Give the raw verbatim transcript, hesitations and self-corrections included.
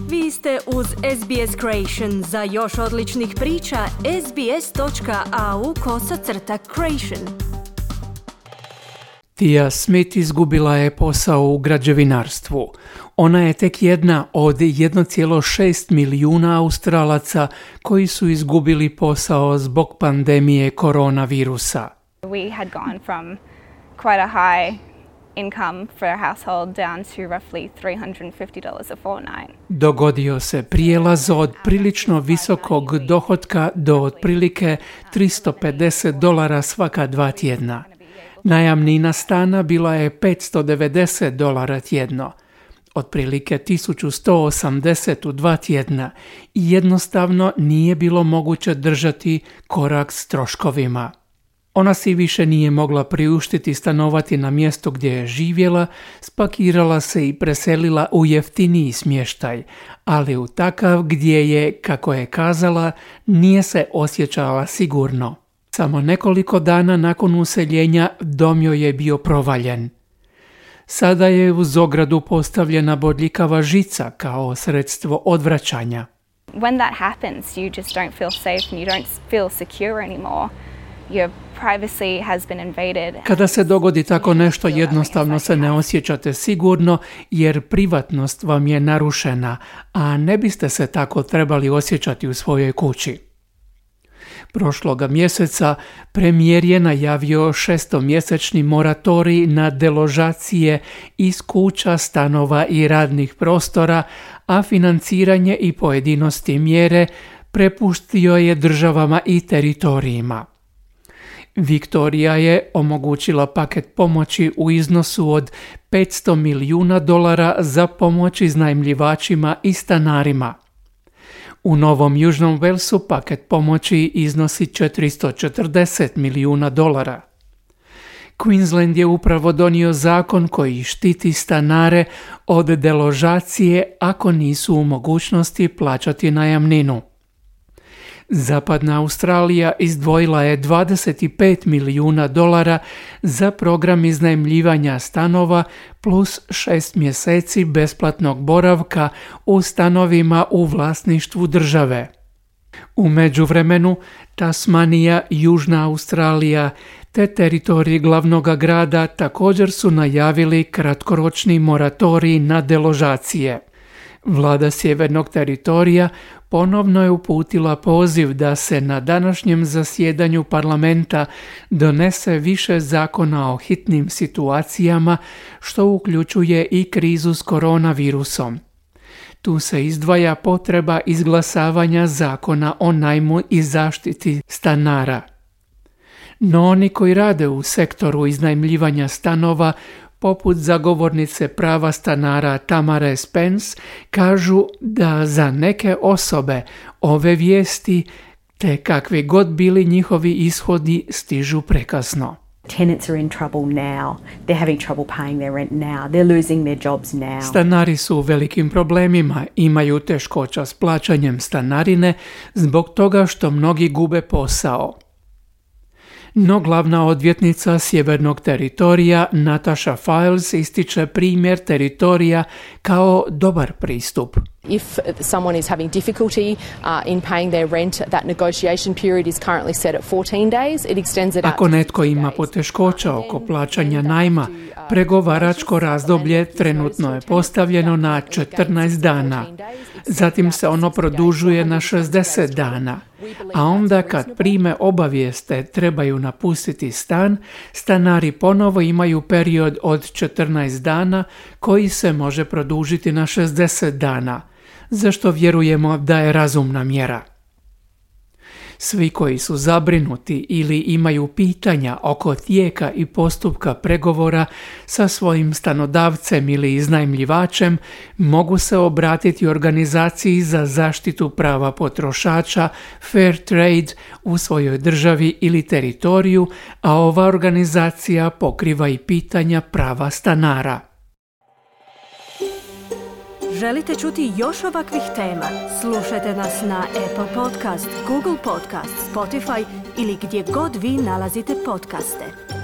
Vi ste uz S B S Creation. Za još odličnih priča, sbs.au kosacrta creation. Tia Smith izgubila je posao u građevinarstvu. Ona je tek jedna od jedan zarez šest milijuna Australaca koji su izgubili posao zbog pandemije koronavirusa. We had gone from quite a high income for a household down to roughly three hundred fifty dollars a fortnight. Dogodio se prijelaz od prilično visokog dohotka do otprilike tristo pedeset dolara svaka dva tjedna. Najamnina stana bila je petsto devedeset dolara tjedno, otprilike tisuću sto osamdeset u dva tjedna i jednostavno nije bilo moguće držati korak s troškovima. Ona si više nije mogla priuštiti stanovati na mjestu gdje je živjela, spakirala se i preselila u jeftiniji smještaj, ali u takav gdje je, kako je kazala, nije se osjećala sigurno. Samo nekoliko dana nakon useljenja dom joj je bio provaljen. Sada je uz ogradu postavljena bodljikava žica kao sredstvo odvraćanja. When that happens, you just don't feel safe and you don't feel secure anymore. Your privacy has been invaded. Kada se dogodi tako nešto, jednostavno se ne osjećate sigurno jer privatnost vam je narušena, a ne biste se tako trebali osjećati u svojoj kući. Prošloga mjeseca premijer je najavio šestomjesečni moratorij na deložacije iz kuća, stanova i radnih prostora, a financiranje i pojedinosti mjere prepustio je državama i teritorijima. Viktorija je omogućila paket pomoći u iznosu od petsto milijuna dolara za pomoć iznajmljivačima i stanarima. U Novom Južnom Walesu paket pomoći iznosi četiristo četrdeset milijuna dolara. Queensland je upravo donio zakon koji štiti stanare od deložacije ako nisu u mogućnosti plaćati najamninu. Zapadna Australija izdvojila je dvadeset pet milijuna dolara za program iznajmljivanja stanova plus šest mjeseci besplatnog boravka u stanovima u vlasništvu države. U međuvremenu, Tasmanija, Južna Australija te teritorij glavnog grada također su najavili kratkoročni moratorij na deložacije. Vlada sjevernog teritorija ponovno je uputila poziv da se na današnjem zasjedanju parlamenta donese više zakona o hitnim situacijama, što uključuje i krizu s koronavirusom. Tu se izdvaja potreba izglasavanja zakona o najmu i zaštiti stanara. No oni koji rade u sektoru iznajmljivanja stanova, poput zagovornice prava stanara Tamare Spence, kažu da za neke osobe ove vijesti, te kakvi god bili njihovi ishodi, stižu prekasno. Tenants are in trouble now. They're having trouble paying their rent now. They're losing their jobs now. Stanari su u velikim problemima, imaju teškoća s plaćanjem stanarine zbog toga što mnogi gube posao. No glavna odvjetnica sjevernog teritorija Natasha Files ističe primjer teritorija kao dobar pristup. If someone is having difficulty uh, in paying their rent, that negotiation period is currently set at fourteen days. It extends it out. Ako netko ima poteškoća oko plaćanja najma, pregovaračko razdoblje trenutno je postavljeno na četrnaest dana. Zatim se ono produžuje na šezdeset dana. A onda kad prime obavijeste trebaju napustiti stan, stanari ponovo imaju period od četrnaest dana koji se može produžiti na šezdeset dana, za što vjerujemo da je razumna mjera. Svi koji su zabrinuti ili imaju pitanja oko tijeka i postupka pregovora sa svojim stanodavcem ili iznajmljivačem mogu se obratiti organizaciji za zaštitu prava potrošača Fair Trade u svojoj državi ili teritoriju, a ova organizacija pokriva i pitanja prava stanara. Želite čuti još ovakvih tema? Slušajte nas na Apple Podcast, Google Podcast, Spotify ili gdje god vi nalazite podcaste.